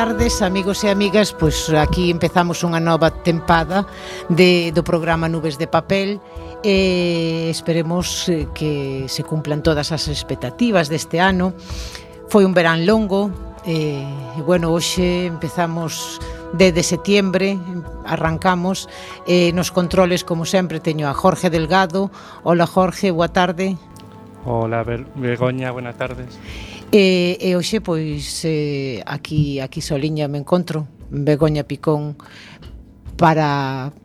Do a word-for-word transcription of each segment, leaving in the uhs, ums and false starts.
tardes, amigos e amigas. Pois aquí empezamos unha nova tempada de, do programa Nubes de Papel e esperemos que se cumplan todas as expectativas deste ano. Foi un verán longo e, bueno, hoxe empezamos desde setiembre, arrancamos e nos controles, como sempre, teño a Jorge Delgado. Hola, Jorge, boa tarde. Hola, Begoña, buenas tardes. E, e hoxe, pois, eh, aquí, aquí soliña me encontro, Begoña Picón, para,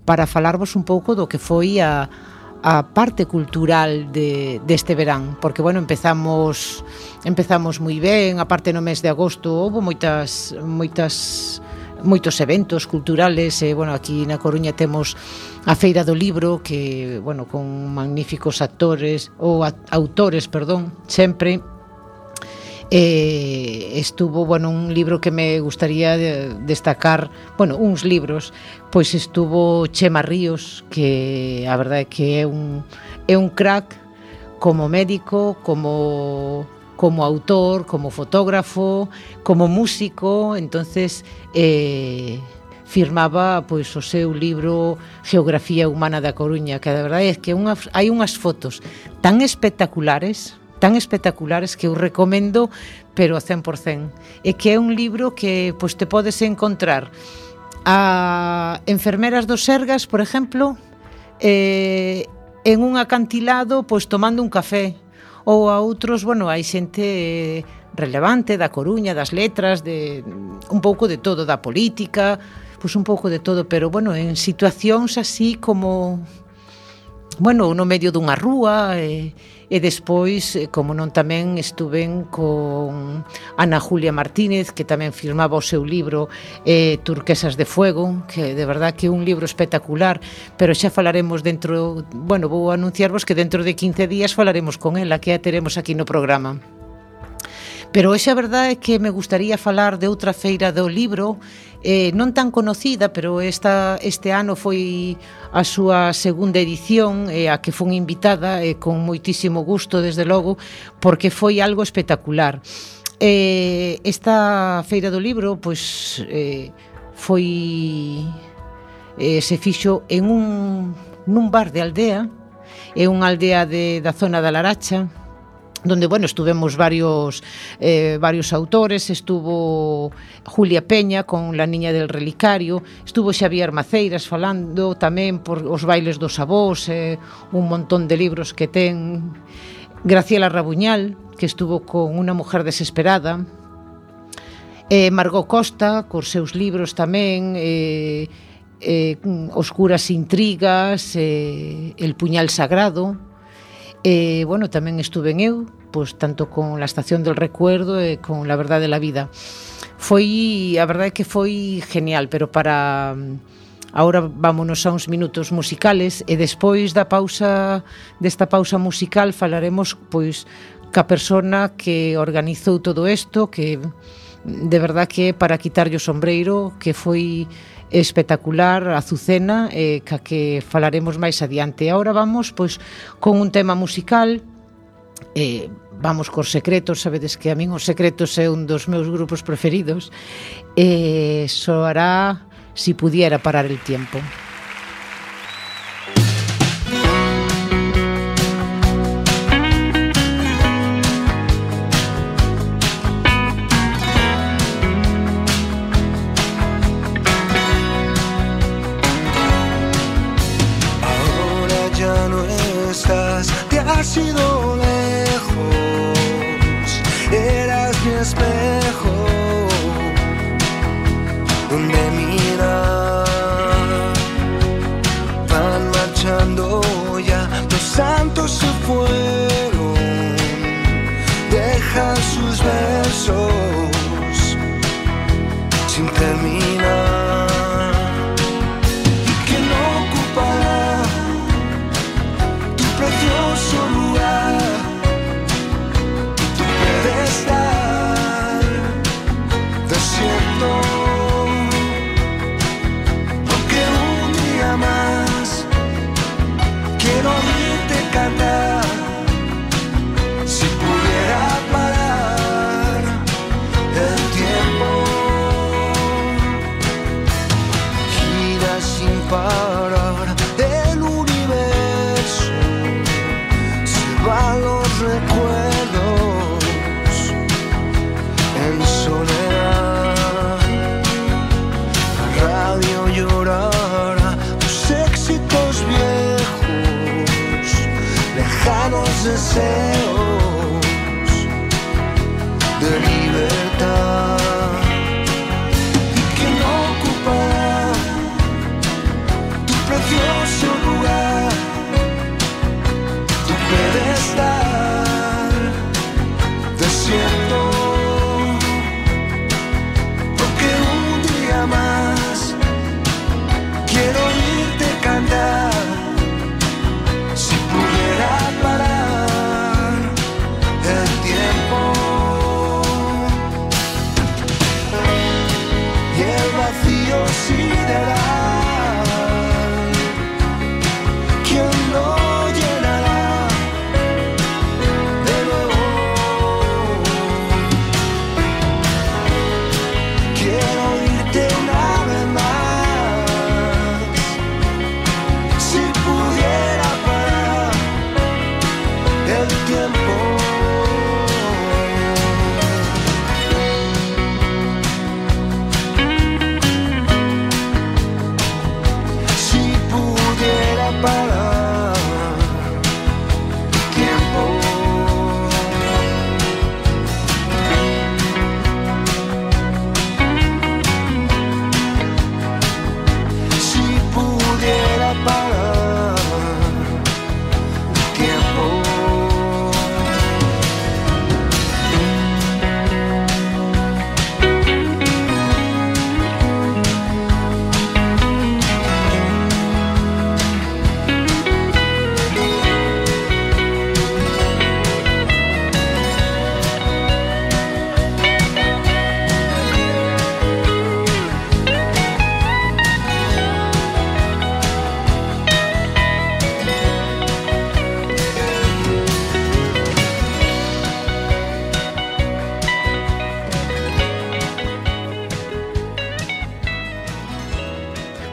para falarvos un pouco do que foi a, a parte cultural de, deste verán, porque, bueno, empezamos empezamos moi ben, a parte no mes de agosto houve moitas, moitas, moitos eventos culturales, e, bueno, aquí na Coruña temos a Feira do Libro, que, bueno, con magníficos actores, ou a, autores, perdón, sempre. Eh, estuvo, bueno, un libro que me gustaría de destacar, bueno, uns libros, pois estuvo Chema Ríos, que a verdade é que é un é un crack como médico, como como autor, como fotógrafo, como músico. Entonces eh firmaba, pois, o seu libro Geografía Humana da Coruña, que a verdade é que unha, hai unhas fotos tan espectaculares, tan espectaculares que eu recomendo, pero a cen por cen. É que é un libro que, pois, te podes encontrar a enfermeras do Sergas, por exemplo, eh, en un acantilado, pois, tomando un café, ou a outros, bueno, hai xente relevante da Coruña, das letras, de un pouco de todo, da política, pois un pouco de todo, pero, bueno, en situacións así como, bueno, no medio dunha rúa. E, e despois, como non, tamén estuven con Ana Julia Martínez, que tamén firmaba o seu libro eh, Turquesas de Fuego, que de verdad que é un libro espectacular, pero xa falaremos dentro, bueno, vou anunciarvos que dentro de quince días falaremos con ela, que a teremos aquí no programa. Pero hoxe a verdade é que me gustaría falar de outra feira do libro, eh, non tan conocida, pero esta, este ano foi a súa segunda edición, eh, a que fun invitada, eh, con moitísimo gusto, desde logo, porque foi algo espectacular. Eh, esta feira do libro, pois, eh, foi eh, se fixo en un nun bar de aldea, é unha aldea de, da zona da Laracha, donde, bueno, estuvemos varios eh, varios autores. Estuvo Julia Peña con La Niña del Relicario, estuvo Xavier Maceiras falando tamén por os bailes dos avós, eh, un montón de libros que ten. Graciela Rabuñal, que estuvo con Una mujer desesperada, eh, Margot Costa cos seus libros tamén, eh, eh, Oscuras intrigas, eh, El puñal sagrado. E, bueno, tamén estuve en eu, pois, tanto con La estación del recuerdo e con La verdad de la vida. Foi, a verdade é que foi genial, pero para... Ahora vámonos a uns minutos musicales e despois da pausa, desta pausa musical, falaremos, pois, ca persona que organizou todo isto, que de verdad que para quitarlle o sombreiro, que foi espectacular, Azucena, eh, ca que falaremos máis adiante. Ahora vamos, pois, con un tema musical, eh, vamos cos Secretos. Sabedes que a min os Secretos é un dos meus grupos preferidos, e eh, soará Si pudiera parar el tiempo. Has ido lejos, eras mi espejo, donde mirar, van marchando ya, los santos se fueron, dejan sus versos sin terminar, y que no ocupará tu precioso lugar. mis deseos de libertad. ¿Y quién ocupará tu precioso lugar, tu pedestal desierto? Porque un día más quiero oírte cantar. Si pudiera parar el tiempo y el vacío sideral, ¿quién lo llenará de nuevo? Quiero oírte una vez más. Si pudiera parar el tiempo. Si pudiera parar el tiempo. Si pudiera parar el tiempo.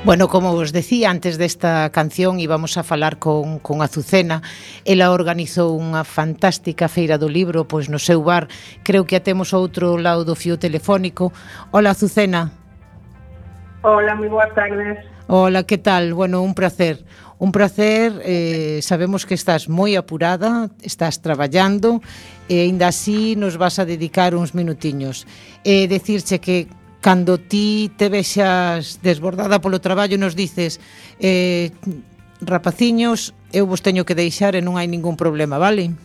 Bueno, como vos decía, antes desta canción íbamos a falar con, con Azucena. Ela organizou unha fantástica feira do libro pois no seu bar. Creo que a temos outro lado do fío telefónico. Hola, Azucena. Hola, moi boas tardes. Hola, que tal? Bueno, un placer. Un placer, eh, sabemos que estás moi apurada, estás traballando e aínda así nos vas a dedicar uns minutiños. E eh, decirche que cando ti te vexas desbordada polo traballo nos dices eh, rapaciños, eu vos teño que deixar e non hai ningún problema, vale?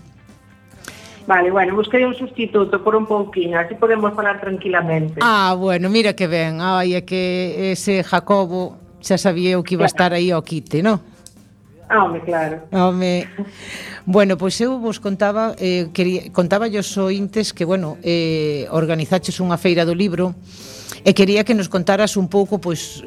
Vale, bueno, busquei un sustituto por un pouquinho, así podemos falar tranquilamente. Ah, bueno, mira que ben. Ai, é que ese Jacobo xa sabía o que iba a estar aí ao quite, non? Ah, home, claro. Home. Bueno, pois eu vos contaba, eh, quería, contaba aos ointes que, bueno, eh, organizaches unha feira do libro e quería que nos contaras un pouco, pois,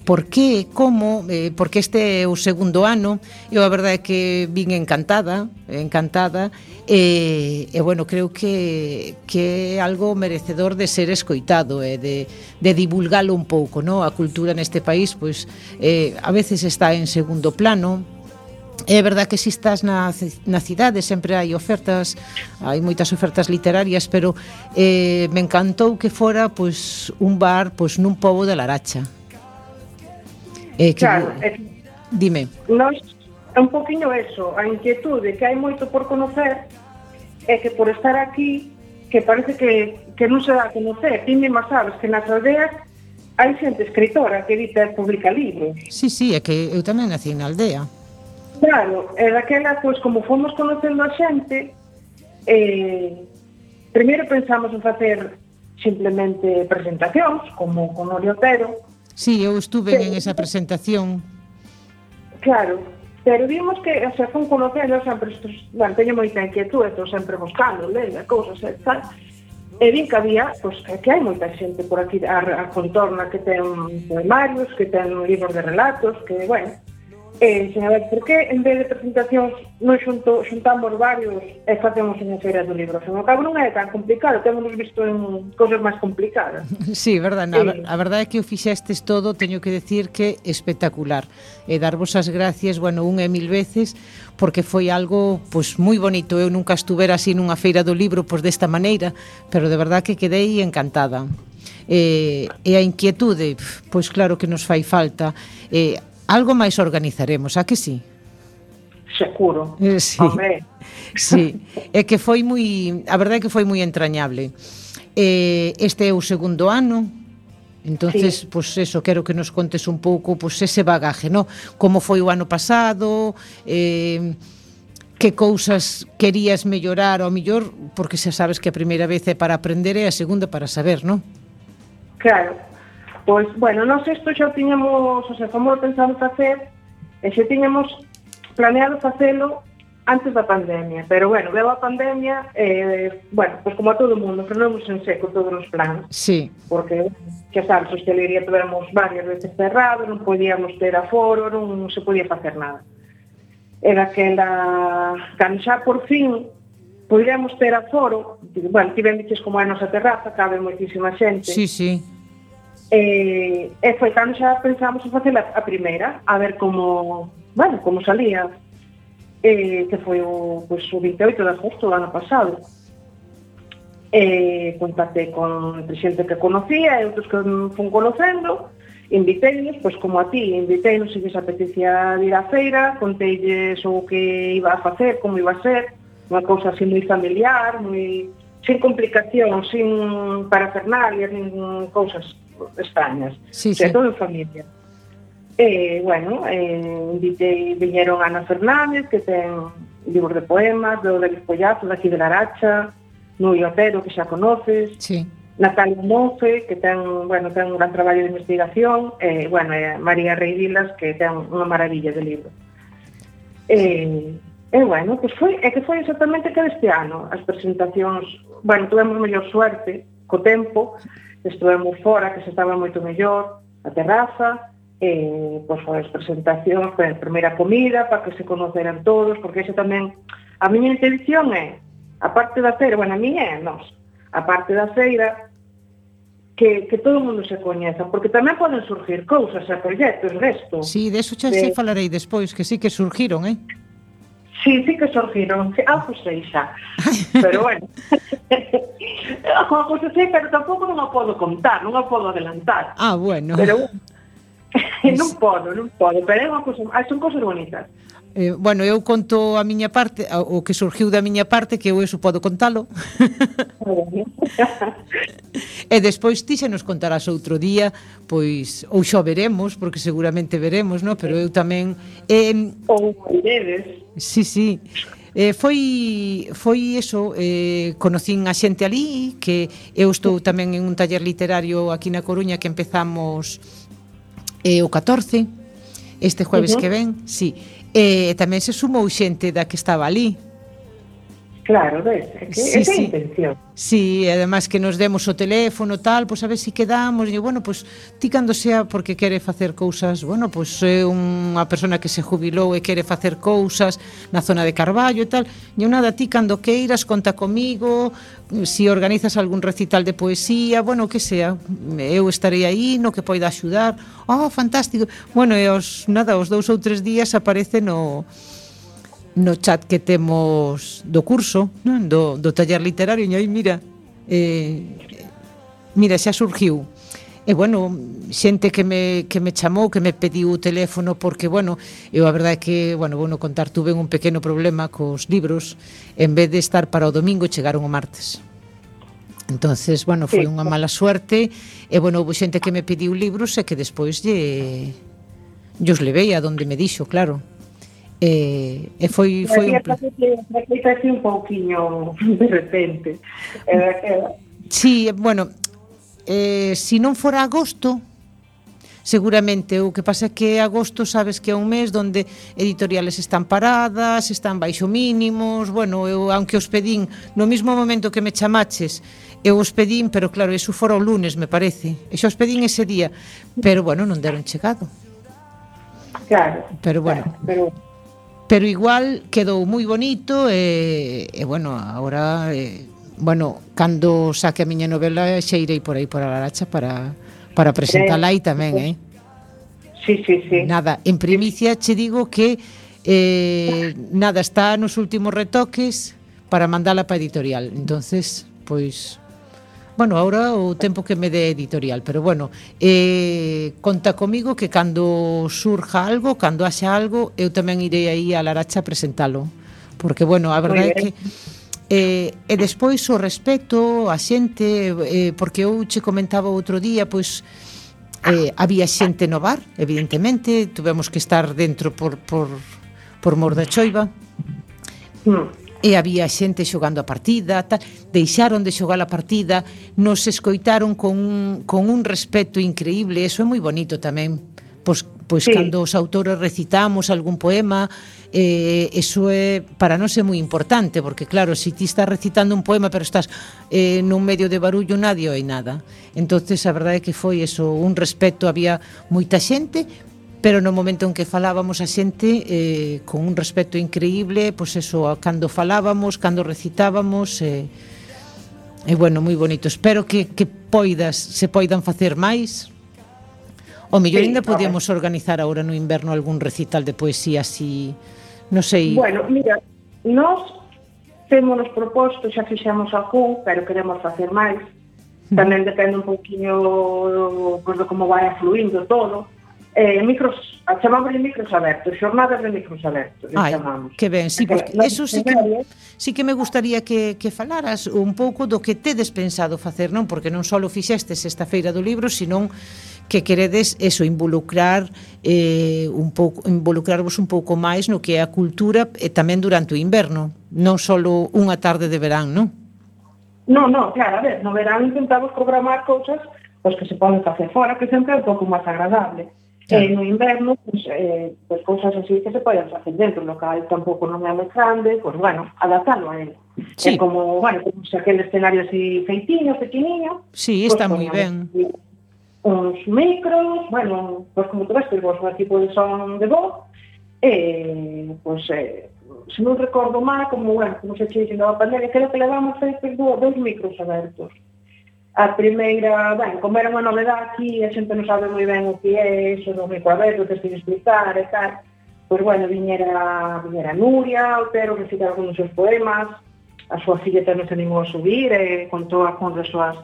por que, como, eh, porque este é o segundo ano. Eu a verdade é que vin encantada, encantada, e, e bueno, creo que, que é algo merecedor de ser escoitado e de, de divulgalo un pouco, no? A cultura neste país, pois, eh, a veces está en segundo plano. É verdad que si estás na, na cidade sempre hai ofertas, hai moitas ofertas literarias, pero eh, me encantou que fora pois, un bar pois, nun pobo de Laracha. Eh, que, claro, é, dime. Nos, é un poquinho eso, a inquietude que hai moito por conocer é que por estar aquí que parece que, que non se dá a conocer. Ti mesma sabes que nas aldeas hai xente escritora que edita e publica libros. Sí, sí, é que eu tamén nací na aldea. Claro, e daquela, pois, como fomos conocendo a xente, eh, primeiro pensamos en facer simplemente presentacións, como con Orio Otero. Sí, eu estuve sí. en esa presentación. Claro, pero vimos que, o sea, fun conocendo sempre estos, bueno, teño moita inquietud, estou sempre buscando, lendo, cousas e tal, e vin que había, pois, que hai moita xente por aquí a, a contorna que ten poemarios, que ten libros de relatos, que, bueno, E, sen a ver, por que en vez de presentacións non xunto, xuntamos varios e facemos unha feira do libro? Sen o cabo non é tan complicado, temos visto en cosas máis complicadas. Sí, verdade, sí. A, a verdade é que o fixestes todo, teño que decir que espectacular. E darvos as gracias, bueno, unha e mil veces, porque foi algo, pois, moi bonito. Eu nunca estuvera así nunha feira do libro, pois, desta maneira, pero de verdade que quedei encantada. E, e a inquietude, pois claro que nos fai falta. E, algo máis organizaremos, a que sí? seguro. Eh, sí. Hombre. Sí, é que foi moi, a verdade é que foi moi entrañable. Eh, este é o segundo ano. Entonces, Sí. pois pues eso, quero que nos contes un pouco pois pues ese bagaje, ¿no? Como foi o ano pasado, eh, que cousas querías mellorar ao millor, porque xa sabes que a primeira vez é para aprender e a segunda para saber, ¿no? Claro. Pois, bueno, nós isto xa tiñamos, o sea, como pensamos facer, e xa tiñamos planeado facelo antes da pandemia, pero bueno, veo a pandemia, eh, bueno, pois como a todo o mundo, frenamos en seco todos os planos. Sí. Porque, xa sabes, a hostelería tivemos varias veces cerrado, non podíamos ter aforo, non se podía facer nada. Era que la, cando xa por fin podíamos ter aforo, bueno, ti ben dices como é a nosa terraza, cabe moitísima xente. Sí, sí. E, e foi cando xa pensamos en facer a, a primeira, a ver como, bueno, como salía. Eh, que foi o, pues, o veinte e oito de agosto do ano pasado. Eh, contactei con xente que conocía e outros que fun conocendo, inviteinos, pois como a ti, inviteinos se lles apetecía ir á feira, conteilles o que iba a facer, como iba a ser, unha cousa así moi familiar, moi sin complicacións, sin parafernalias, nin cousas extrañas. Sí, o sea, sí. todo en familia. E, bueno, eh, invitei, viñeron Ana Fernández, que ten libros de poemas, do David Pollazo, daqui de Laracha, Nui Otero, que xa conoces, Sí. Natalia Mofe, que ten, bueno, ten un gran traballo de investigación, e, bueno, e María Rey Vilas, que ten unha maravilla de libro. E, e bueno, pues foi, é que foi exactamente que deste ano, as presentacións, bueno, tuvemos mellor suerte, co tempo, estuvemos fora, que se estaba moito mellor, a terraza, eh, pois foi as presentacións, foi a primeira comida para que se conoceran todos, porque iso tamén, a miña intención é, a parte da feira, bueno, a miña é nós, a parte da feira, que, que todo o mundo se coñeza, porque tamén poden surgir cousas e proxectos desto. Sí, de eso xa de... se falarei despois, que sí que surgiron, eh? Sí, sí que surgiron, sí, algo sei xa, pero bueno, algo sei, pero tampouco non o podo contar, non o podo adelantar. Ah, bueno. Pero bueno, non podo, non podo, pero é unha cosa, son cosas bonitas. Eh, bueno, eu conto a miña parte, o que surgiu da miña parte, que eu eso podo contalo. E despois ti xa nos contarás outro día, pois, ou xa veremos, porque seguramente veremos, no? Pero eu tamén... Eh, Ou veredes. Sí, sí. Eh, foi foi eso, eh, conocín a xente ali, que eu estou tamén en un taller literario aquí na Coruña que empezamos eh, o catorce, este jueves uh-huh. que ven, sí. E eh, tamén se sumou xente da que estaba ali. Claro, ves, é que Sí, esa é a sí. intención. Sí, e además que nos demos o teléfono tal, pois a ver se si quedamos, e bueno, pois ti cando sea porque quere facer cousas, bueno, pois é unha persona que se jubilou e quere facer cousas na zona de Carballo e tal, e nada, ti cando queiras conta comigo, si organizas algún recital de poesía, bueno, que sea, eu estarei aí no que poida axudar. Oh, fantástico. Bueno, e os nada, os dous ou tres días aparece no no chat que temos do curso, non? Do, do taller literario, e aí mira, eh, mira, xa surgiu. E bueno, xente que me, que me chamou, que me pediu o teléfono, porque, bueno, eu a verdade é que, bueno, vou no contar, tuve un pequeno problema cos libros, en vez de estar para o domingo, chegaron o martes. Entonces, bueno, foi unha mala suerte, e, bueno, houve xente que me pediu libros e que despois lle, lle os levei a donde me dixo, claro. E, e foi foi un placer. Foi un pouquiño de repente. Era que Sí, bueno, eh, si non fora agosto, seguramente, o que pasa é que agosto sabes que é un mes donde editoriales están paradas, están baixo mínimos, bueno, eu aunque os pedín no mesmo momento que me chamaches, eu os pedín, pero claro, eso fora o lunes, me parece. E xa os pedín ese día, pero bueno, non deron chegado. Claro. Pero bueno, claro, pero pero igual quedou moi bonito e, e bueno, agora eh, bueno, cando saque a miña novela xa irei por aí por a Laracha para, para presentala aí tamén, eh? Sí, sí, sí. Nada, en primicia che digo que eh, nada, está nos últimos retoques para mandala para editorial, entonces, pois Bueno, ahora o tempo que me dé editorial, pero bueno, eh, conta comigo que cando surja algo, cando haxa algo, eu tamén irei aí a Laracha a presentalo, porque bueno, a verdade é que eh, e despois o respeto a xente, eh, porque eu che comentaba outro día, pois eh, había xente no bar, evidentemente, tuvemos que estar dentro por, por, por mor da choiva, mm. e había xente xogando a partida, tal, deixaron de xogar a partida, nos escoitaron con un, con un respeto increíble, eso é moi bonito tamén. Pois, pois sí. Cando os autores recitamos algún poema, eh, eso é para nós é moi importante, porque claro, se ti estás recitando un poema pero estás eh, nun medio de barullo, nadie oi nada. Entonces a verdade é que foi eso, un respeto, había moita xente, pero no momento en que falábamos a xente eh, con un respeto increíble, pois eso, cando falábamos, cando recitábamos, e eh, eh, bueno, moi bonito. Espero que, que poidas, se poidan facer máis. O mellor sí, ainda podíamos organizar agora no inverno algún recital de poesía así, non sei. Bueno, mira, nós temos nos proposto, xa fixemos algún, pero queremos facer máis. Tamén depende un pouquinho pues, de como vai fluindo todo. Eh, micros, chamamos de micros abertos, xornadas de micros abertos. Ai, chamamos. Que ben, sí, porque eso sí que, sí que me gustaría que, que falaras un pouco do que tedes pensado facer, non? Porque non só fixestes esta feira do libro, senón que queredes eso, involucrar eh, un pouco, involucrarvos un pouco máis no que é a cultura e tamén durante o inverno, non só unha tarde de verán, non? Non, non, claro, a ver, no verán intentamos programar cousas pois que se poden facer fora, que sempre é un pouco máis agradable. Claro. Eh, no inverno, pues, eh, pues cousas así que se poden facer dentro, o local tampouco non é moi grande, pues bueno, adaptalo a él. Sí. É como, bueno, como se aquel escenario así feitiño, pequeniño. Sí, pues, está moi ben. Uns micros, bueno, pues como tú ves, pues un equipo de son de voz, e, pues, eh, se non recordo mal, como, bueno, como se che dixendo a pandemia, creo que levamos feitos dois micros abertos. A primeira, ben, como era unha novedade aquí, a xente non sabe moi ben o que é eso do micro aberto, que se explicar e tal, pois, bueno, viñera, viñera Nuria, Otero, recitar algúns dos seus poemas, a súa filla tamén se animou a subir, e contou algúns das súas,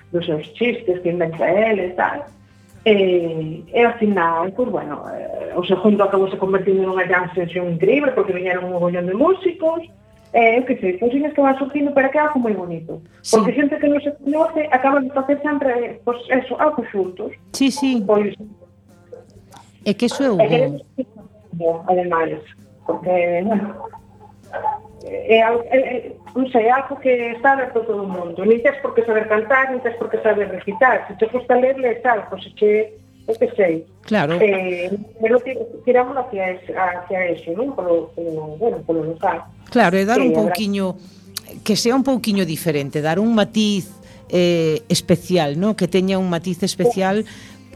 dos seus chistes que inventa ele e tal. E, e ao final, pois, bueno, o segundo acabou se convertindo nunha jam session increíble, porque viñeron un mogollón de músicos, Eh, eu que sei, cousinhas que van surgindo para que algo moi bonito. Sí. Porque xente que non se conoce acaba de facer sempre, pois, pues, eso, algo xuntos. Sí, sí. Pois, é que eso é o bo. Ademais, porque, bueno, é, é, é, non sei, algo que está aberto a todo o mundo. Nin tens por que saber cantar, nin tens por que saber recitar. Se te gusta ler, le tal, pois se che, eu que sei. Claro. Eh, pero tiramos hacia, hacia eso, non? Polo, polo, bueno, polo local. Claro, e dar un pouquiño, que sea un pouquiño diferente, dar un matiz eh, especial, ¿no? Que teña un matiz especial,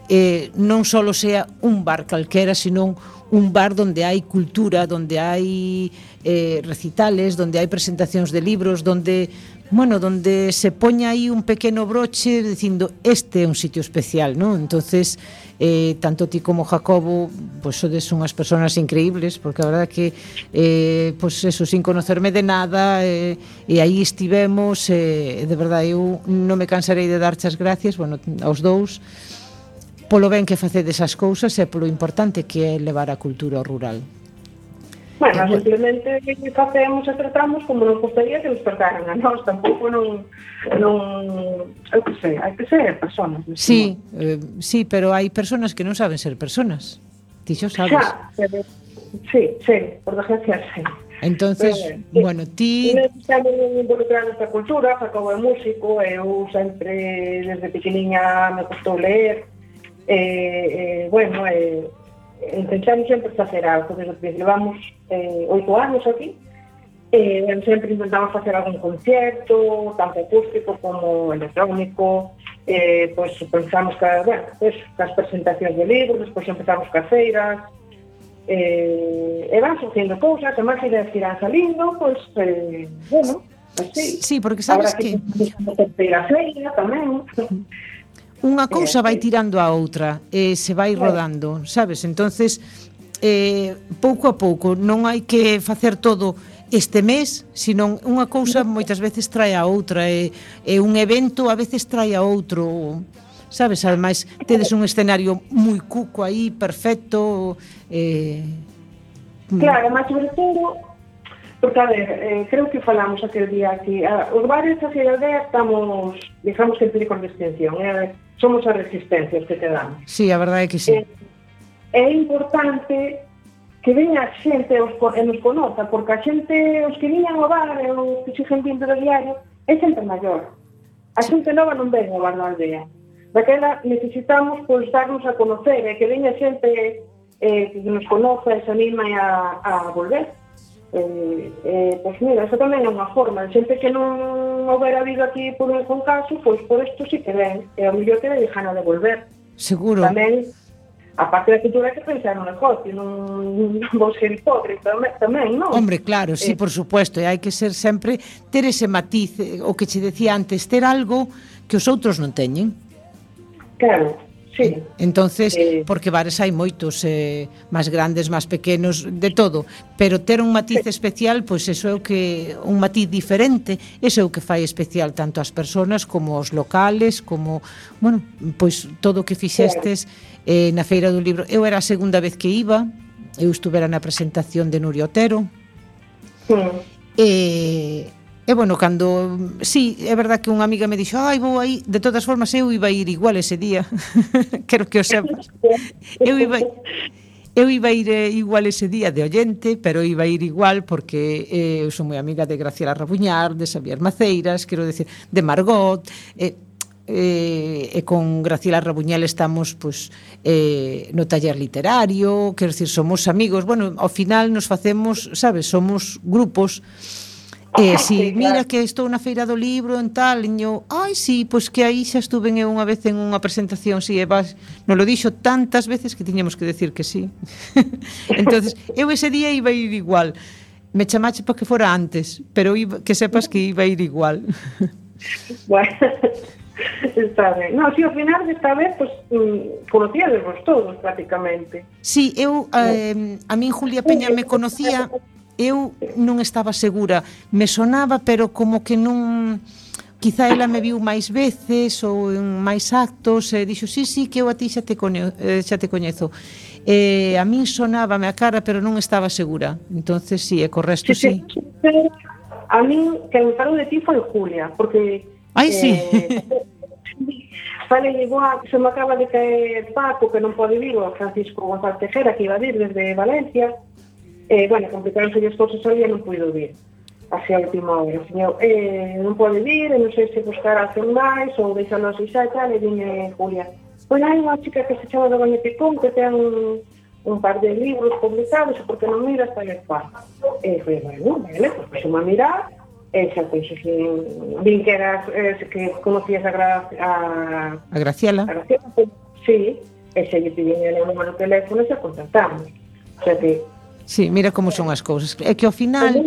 eh, non só sea un bar calquera, sino un bar donde hai cultura, donde hai eh, recitales, donde hai presentacións de libros, donde, bueno, donde se poña aí un pequeno broche dicindo, este é un sitio especial, ¿no? Entonces, eh, tanto ti como Jacobo, pues sodes unhas persoas increíbles, porque a verdade que eh, pues eso, sin conocerme de nada, eh, e aí estivemos, eh, de verdade eu non me cansarei de darche as gracias, bueno, aos dous, polo ben que facedes as cousas e polo importante que é levar a cultura ao rural. Bueno, simplemente facemos e tratamos como nos gustaría que nos trataran a nós, tampouco non, non, eu que sei, hai que ser personas. Sí, eh, sí, pero hai personas que non saben ser personas. Ti xo sabes. Xa, pero, sí, sí, por desgracia, sí. Entonces, eh, bueno, ti... Estamos involucrados nesta cultura, Jacobo é músico, eu sempre, desde pequeniña, me gustou ler, e, eh, bueno, eh, intentamos sempre facer algo, desde que levamos eh, oito anos aquí, eh, sempre intentamos facer algún concierto, tanto acústico como electrónico, eh, pois pensamos que, bueno, pues, as presentacións de libros, despois empezamos cas feiras, eh, e van surgindo cousas, e máis ideas que irán salindo, pois, eh, bueno, así. Sí, porque sabes que... Terceira feira tamén. Unha cousa vai tirando a outra e se vai rodando, sabes? Entonces, eh, pouco a pouco, non hai que facer todo este mes, senón unha cousa moitas veces trae a outra, e, e un evento a veces trae a outro, sabes? Ademais, tedes un escenario moi cuco aí, perfecto. Eh, claro, mas sobre todo, porque, a ver, eh, creo que falamos aquel día aquí, a, os bares a Cidade Aldea estamos, digamos que en peligro de extinción, eh, somos as resistencias que quedamos. Sí, a verdade é que sí. Eh, é importante que veña a xente os, e nos conoza, porque a xente, os que viñan ao bar e os que siguen vindo do diario, é xente maior. A xente nova non ven ao bar da aldea. Daquela necesitamos, pois, darnos a conocer, e que veña xente eh, que nos conoza e se anima a, a volver. Eh, eh, pois mira, eso tamén é unha forma. Xente que non houbera habido aquí por un caso, pois por isto sí que ven, e ao mellor que ven gana de volver. Seguro. Tamén, a parte da cultura, é que pensar no negocio, non vos ser hipócrita tamén, non? Hombre, claro, sí, eh, por supuesto, e hai que ser sempre, ter ese matiz, o que che decía antes, ter algo que os outros non teñen. Claro, sí. Entonces, eh, porque bares hai moitos, eh, máis grandes, máis pequenos, de todo, pero ter un matiz sí. especial, pois eso é o que, un matiz diferente, eso é o que fai especial tanto as persoas como os locales, como, bueno, pois todo o que fixestes eh, na Feira do Libro. Eu era a segunda vez que iba, eu estuvera na presentación de Nuria Otero, sí. e E, bueno, cando... Sí, é verdad que unha amiga me dixo, ai, vou aí. De todas formas, eu iba a ir igual ese día. Quero que o sepas. Eu iba, eu iba a ir eh, igual ese día de oyente, pero iba a ir igual porque eh, eu sou moi amiga de Graciela Rabuñar, de Xavier Maceiras, quero decir, de Margot... Eh, eh, e con Graciela Rabuñal estamos pues, eh, no taller literario, quero decir, somos amigos. Bueno, ao final nos facemos, sabes, somos grupos. E si, mira que estou na Feira do Libro en tal, eu, ai, si, pois que aí xa estuve eu unha vez en unha presentación, si, e vas, non lo dixo tantas veces que tiñamos que decir que si. Entonces, eu ese día iba a ir igual. Me chamache para que fora antes, pero iba, que sepas que iba a ir igual. Bueno, está ben. No, si ao final desta vez, pues, mm, conocíades vos todos, prácticamente. Si, eu, eh, a min Julia Peña me conocía... Eu non estaba segura, me sonaba, pero como que non... Quizá ela me viu máis veces ou en máis actos, e dixo, sí, sí, que eu a ti xa te, coño, eh, xa te coñezo. Eh, a min sonábame a cara, pero non estaba segura. Entonces, sí, e co resto, sí. sí. A min, que me falou de ti foi Julia, porque... Ai, sí. Eh, Fale igual, se me acaba de caer Paco, que non pode vir, o Francisco González Tejera, que iba a vir desde Valencia. Eh, bueno, complicaronse as cousas ali e non puido vir así a última hora. Señor, eh, non pode vir, e non sei se buscar a hacer máis ou deixarlo así xa e tal, e dime Julia, pois hai unha chica que se chama Doña Picón que ten un, un par de libros publicados, e porque non miras tal e cual. E foi, bueno, vale, pois pues, a mirar, e xa pois que vin que eras, eh, que conocías a, Gra, a, a Graciela. A Graciela, pues, sí, e xa lle pidín el número de teléfono e xa contactamos. O sea que sí, mira como son as cousas. É que ao final,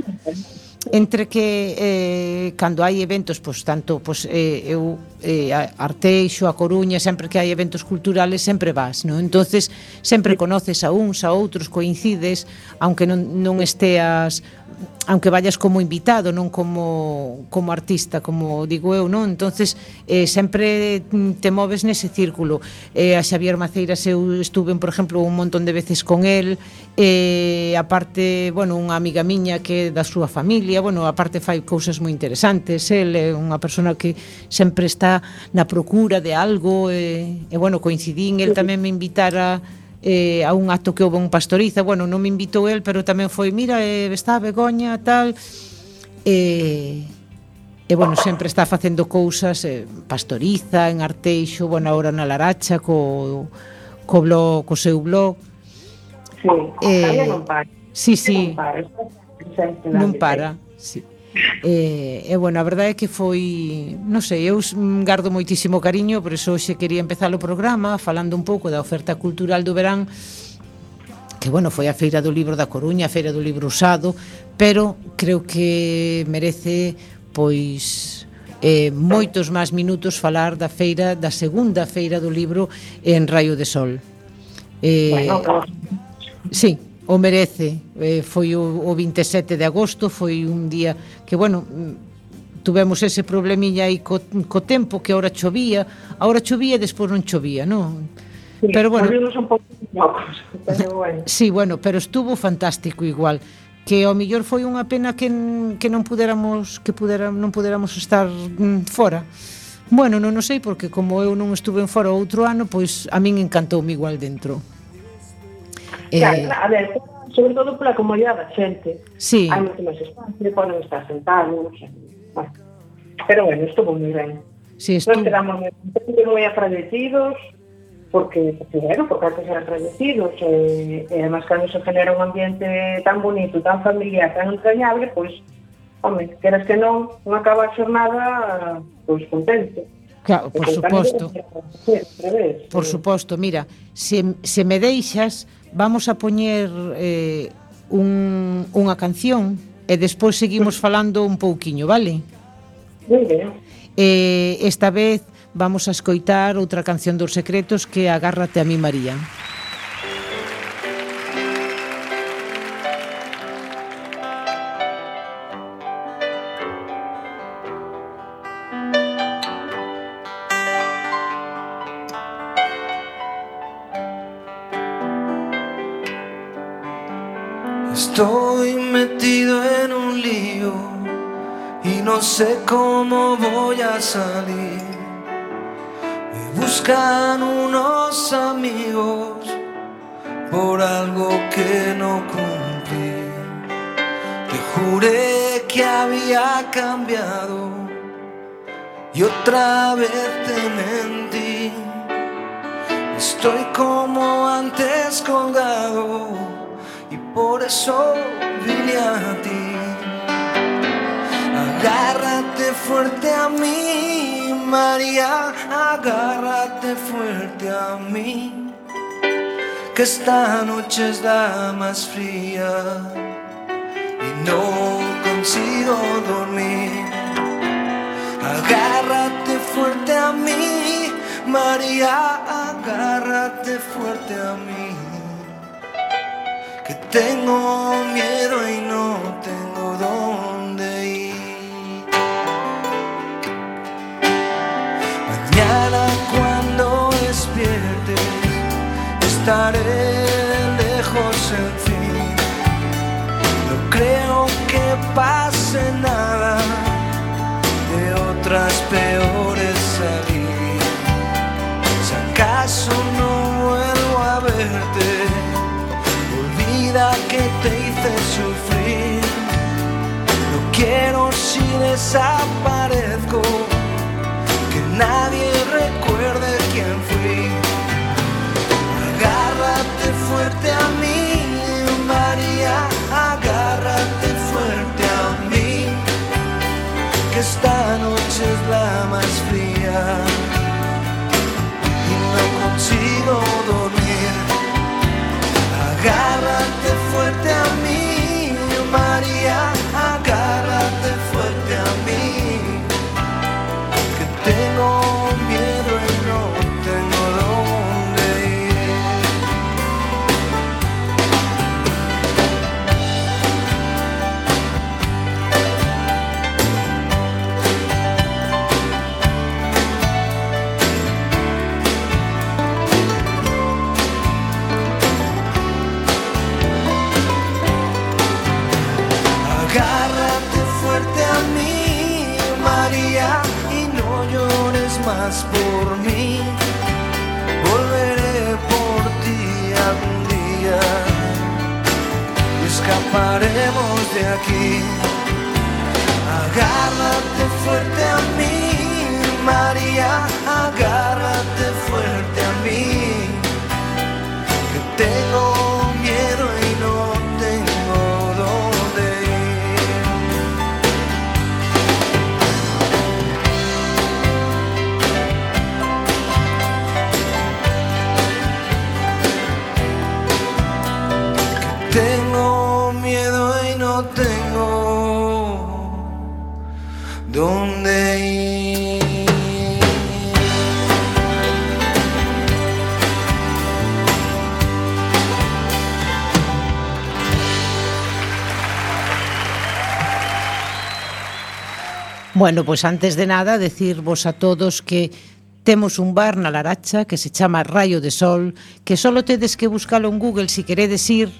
entre que eh, cando hai eventos, pois tanto pois, eh, eu eh, Arteixo, a Coruña, sempre que hai eventos culturales sempre vas, non? Entonces sempre conoces a uns, a outros, coincides, aunque non, non esteas, aunque vayas como invitado, non como como artista, como digo eu, non? Entonces eh, sempre te moves nese círculo. Eh, a Xavier Maceiras eu estuve, por exemplo, un montón de veces con el, eh, aparte, bueno, unha amiga miña que é da súa familia, bueno, aparte fai cousas moi interesantes, el é unha persona que sempre está na procura de algo, e, e bueno, coincidín, el tamén me invitara eh, a un acto que houve en Pastoriza, bueno, non me invitou el, pero tamén foi, mira, eh, está Begoña, tal, e, e bueno, sempre está facendo cousas, eh, Pastoriza, en Arteixo, bueno, agora na Laracha, co, co, blog, co seu blog. Sí, eh, non para. Sí, sí, non para, non para, sí. E, e bueno, a verdade é que foi, non sei, eu gardo moitísimo cariño, por iso hoxe quería empezar o programa falando un pouco da oferta cultural do verán, que bueno, foi a Feira do Libro da Coruña, a Feira do Libro Usado, pero creo que merece pois eh, moitos máis minutos falar da feira, da segunda Feira do Libro en Raio de Sol. Eh, bueno, Sí, o merece. Eh, foi o, o vinte e sete de agosto, foi un día que, bueno, tuvemos ese problemilla aí co, co tempo, que ahora chovía, ahora chovía e despois non chovía, non? Sí, pero bueno, volvimos un pouco locos, pero bueno. Sí, bueno, pero estuvo fantástico igual. Que ao mellor foi unha pena que, que non pudéramos que pudera, non pudéramos estar mm, fora. Bueno, non o sei, porque como eu non estuve en fora outro ano, pois a min encantoume igual dentro. Claro, Eh, a ver, sobre todo pola comodidade da xente. Sí. Hai moito máis espacio, poden estar sentados. Bueno. Pero bueno, estuvo moi ben. Sí, Nos estuvo... quedamos moi, moi agradecidos, porque, bueno, porque antes eran agradecidos, e, e además cando se genera un ambiente tan bonito, tan familiar, tan entrañable, pois, home, queras que non, non acaba a xornada, pois, contento. Claro, por suposto. Vez, por suposto, mira, se, se me deixas, vamos a poñer eh, un, unha canción e despois seguimos falando un pouquiño, vale? Moi ben. Eh, esta vez vamos a escoitar outra canción dos Secretos, que é Agárrate a mí, María. Estoy metido en un lío y no sé cómo voy a salir. Me buscan unos amigos por algo que no cumplí. Te juré que había cambiado y otra vez te mentí. Estoy como antes colgado y por eso vine a ti. Agárrate fuerte a mí, María, agárrate fuerte a mí, que esta noche es la más fría y no consigo dormir. Agárrate fuerte a mí, María, agárrate fuerte a mí, que tengo miedo y no tengo dónde ir. Mañana cuando despiertes estaré lejos, en fin. No creo que pase nada, de otras peores salir. Si acaso no vuelvo a verte, que te hice sufrir. No quiero, si desaparezco, que nadie recuerde quién fui. Agárrate fuerte a mí, María, agárrate fuerte a mí, que esta noche es la más fría y no consigo dormir. Agárrate fuerte a mí, María, agárrate fuerte a mí, que tengo miedo y no tengo dónde ir. Agárrate fuerte a mí, María, y no llores más por mí. Volveré por ti algún día y escaparemos de aquí. Agárrate fuerte a mí, María, agárrate fuerte a mí, que tengo miedo y no tengo dónde ir. Que tengo miedo y no tengo dónde ir. Bueno, pois pues antes de nada, decirvos a todos que temos un bar na Laracha que se chama Rayo de Sol, que solo tedes que buscalo en Google si queredes ir,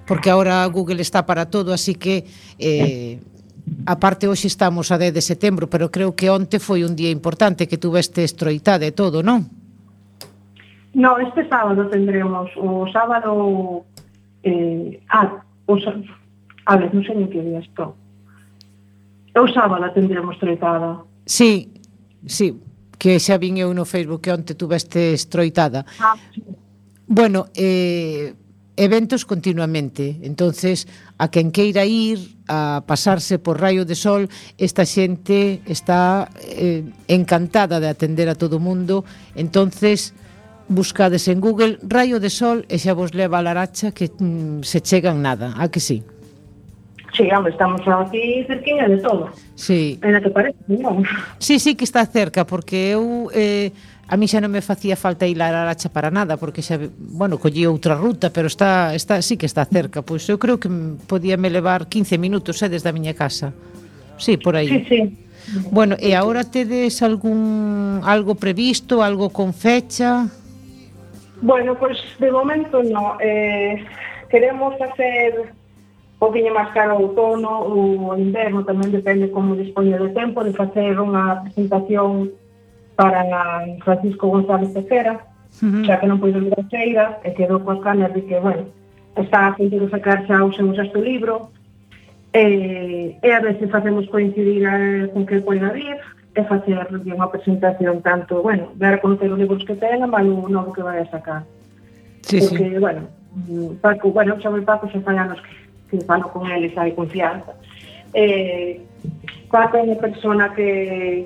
porque agora Google está para todo, así que eh, aparte hoxe estamos a dez de setembro, pero creo que onte foi un día importante que tuveste estroitada e todo, non? No, este sábado tendremos o sábado eh, ah, o, a ver, non sei en que día estou. O sábado tendremos estroitada. Sí, sí, que xa vin eu no Facebook que onte tuveste estroitada. Ah, sí. Bueno, eh, eventos continuamente, entonces a quen queira ir a pasarse por Rayo de Sol, esta xente está eh, encantada de atender a todo o mundo, entonces buscades en Google Rayo de Sol e xa vos leva a Laracha que mm, se chegan nada, a que sí? Sí, hombre, estamos aquí cerquinha de todo. Sí. En la que parece, non? Sí, sí que está cerca, porque eu eh, a mí xa non me facía falta ir a Laracha para nada, porque xa, bueno, collí outra ruta, pero está, está sí que está cerca. Pois eu creo que podía me levar quince minutos eh, desde a miña casa. Sí, por aí. Sí, sí. Bueno, e agora tedes algún algo previsto, algo con fecha? Bueno, pois pues, de momento no. Eh, queremos hacer un poquinho máis caro o outono ou o inverno, tamén depende como dispoñe de tempo, de facer unha presentación para Francisco González Tejera, uh-huh. xa que non pois ir a feira, e quedou coas canas de que, bueno, está a punto de sacar xa o seu sexto libro, e, e a ver se facemos coincidir a, con que poida vir, e facer unha presentación tanto, bueno, ver a conocer os libros que ten, mas o novo que vai a sacar. Sí, porque, sí. bueno, Paco, bueno, xa o Paco xa fai anos que que falo con eles, hai confianza. Eh, Paco é unha persona que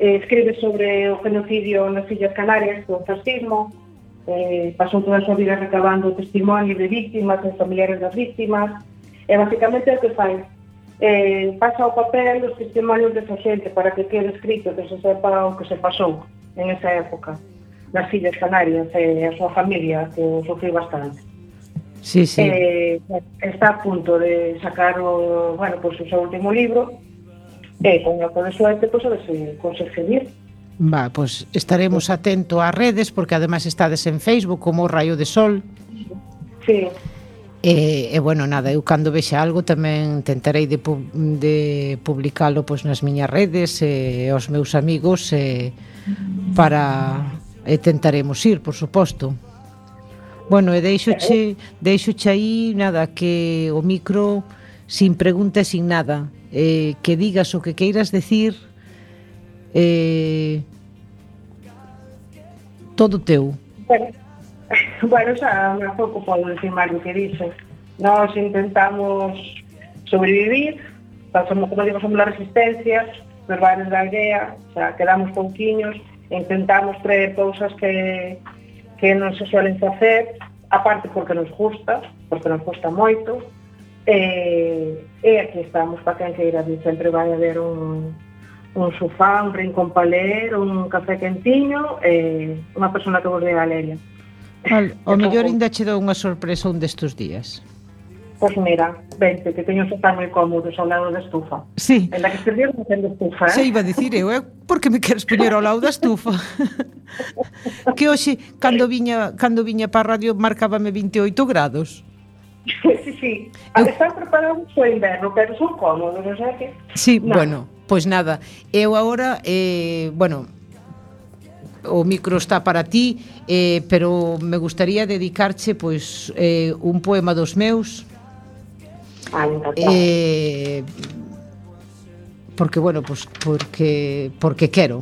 eh, escribe sobre o genocidio nas Illas Canarias, do fascismo, eh, pasou toda a súa vida recabando testimonio de víctimas, de familiares das víctimas, e basicamente é o que fai. Eh, pasa o papel dos testimonios desa xente para que quede escrito, que se sepa o que se pasou en esa época nas Illas Canarias, e a súa familia, que sofriu bastante. Sí, sí. Eh, está a punto de sacar o, bueno, pues, o seu último libro e con a de suerte pues, a ver se consegue vir. Va, pues estaremos atentos ás redes porque además estades en Facebook como Rayo de Sol. Sí. E, e bueno, nada, eu cando vexa algo tamén tentarei de, pu de publicalo pues, nas miñas redes e aos meus amigos e, para e tentaremos ir, por suposto. Bueno, e deixoche, deixoche aí, nada, que o micro sin pregunta e sin nada, eh, que digas o que queiras decir, eh, todo teu. Bueno, bueno, xa un pouco podo decir máis do que dixe. Nós intentamos sobrevivir, pasamos, como digo, somos la resistencia, nos bares da aldea, xa quedamos pouquiños, intentamos traer cousas que que non se suelen facer, aparte porque nos gusta, porque nos gusta moito, e, e aquí estamos para quen queira vir, sempre vai haber un, un sofá, un rincón para ler, un café quentiño, e unha persona que vos dé a leria. Vale, o mellor ainda che dou unha sorpresa un destes días. Pois mira, vente, que teño sofá moi cómodos ao lado da estufa. Sí. En la que estes días non ten estufa, eh? Se iba a dicir eu, eh? Por que me queres poñer ao lado da estufa? Que hoxe, cando viña, cando viña para a radio, marcábame vinte e oito grados. Sí, sí. Eu... Están preparados o inverno, pero son cómodos, non sei que... Sí, no. Bueno, pois nada. Eu agora, eh, bueno... o micro está para ti, eh, pero me gustaría dedicarche pois eh, un poema dos meus. Ah, eh, porque bueno, pues porque porque quero.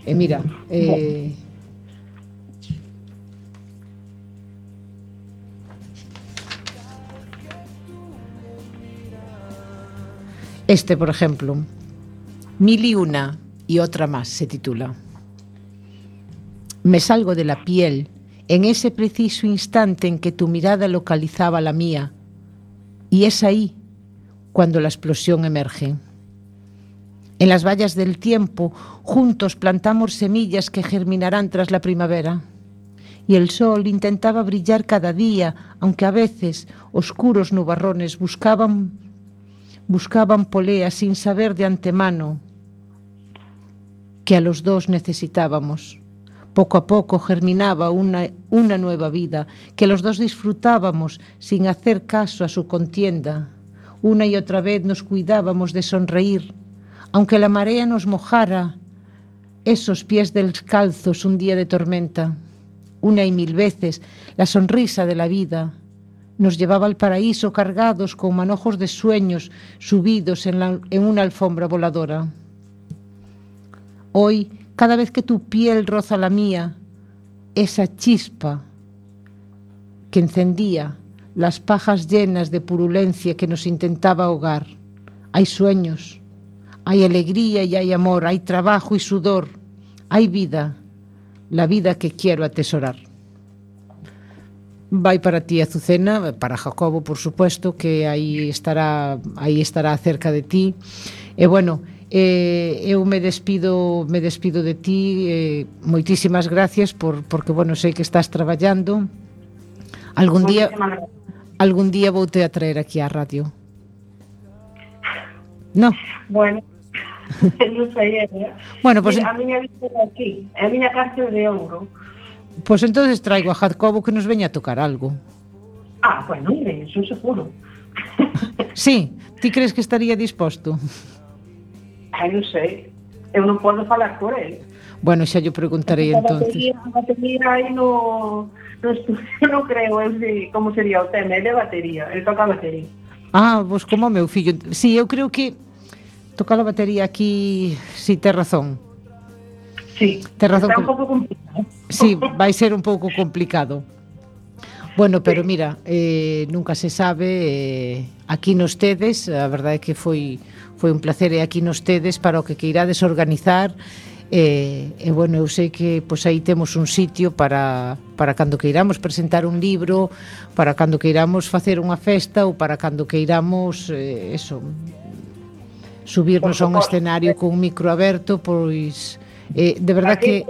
E mira, eh, este, por ejemplo, Mil y una y otra más se titula. Me salgo de la piel en ese preciso instante en que tu mirada localizaba la mía, y es ahí cuando la explosión emerge. En las vallas del tiempo, juntos plantamos semillas que germinarán tras la primavera, y el sol intentaba brillar cada día, aunque a veces oscuros nubarrones buscaban buscaban polea sin saber de antemano que a los dos necesitábamos. Poco a poco germinaba una, una nueva vida, que los dos disfrutábamos sin hacer caso a su contienda. Una y otra vez nos cuidábamos de sonreír, aunque la marea nos mojara esos pies descalzos un día de tormenta. Una y mil veces la sonrisa de la vida nos llevaba al paraíso cargados con manojos de sueños subidos en, la, en una alfombra voladora. Hoy, cada vez que tu piel roza la mía, esa chispa que encendía las pajas llenas de purulencia que nos intentaba ahogar. Hay sueños, hay alegría y hay amor, hay trabajo y sudor, hay vida, la vida que quiero atesorar. Vai para ti, Azucena, para Jacobo, por supuesto, que aí estará, aí estará cerca de ti. E bueno, eh, eu me despido, me despido de ti, eh, moitísimas gracias por, porque, bueno, sei que estás traballando. Algún día, algún día voute a traer aquí á radio. No. Bueno, non sei, eh? Bueno, pues, a miña vida aquí, a miña cárcel de ouro. Pois pues entonces traigo a Jacobo que nos veña a tocar algo. Ah, bueno, mire, eso seguro. Sí, ti crees que estaría disposto? Ai, non sei, eu non podo falar por ele. Bueno, xa yo preguntarei entonces. A batería aí no, no estudio, non creo, eu sei como sería o tema, ele é batería, ele toca a batería. Ah, vos como o meu fillo. Sí, eu creo que tocar a batería aquí, si, sí, ten razón. Sí, ten razón. Está un pouco complicado. Sí, vai ser un pouco complicado. Bueno, pero mira, eh, nunca se sabe, eh, aquí nos tedes, a verdade é que foi foi un placer, e aquí nos tedes para o que queirades organizar, e, e bueno, eu sei que pois aí temos un sitio para, para cando queiramos presentar un libro, para cando queiramos facer unha festa, ou para cando queiramos, eh, eso, subirnos a un escenario con un micro aberto, pois, eh, de verdade que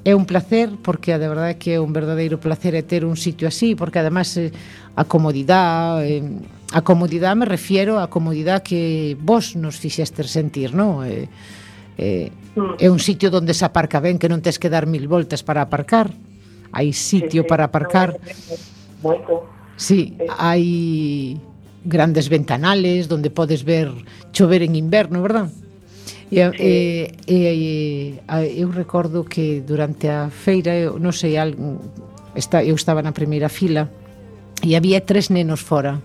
é un placer, porque de verdade que é un verdadeiro placer é ter un sitio así, porque además eh, a comodidade, eh, a comodidade me refiero a comodidade que vos nos fixestes sentir, non? Eh, eh, é un sitio onde se aparca ben, que non tes que dar mil voltas para aparcar, hai sitio sí, sí, para aparcar, sí, hai grandes ventanales onde podes ver chover en inverno, verdad? E, sí. e, e, e eu recordo que durante a feira, eu non sei, algo, está, eu estaba na primeira fila e había tres nenos fora.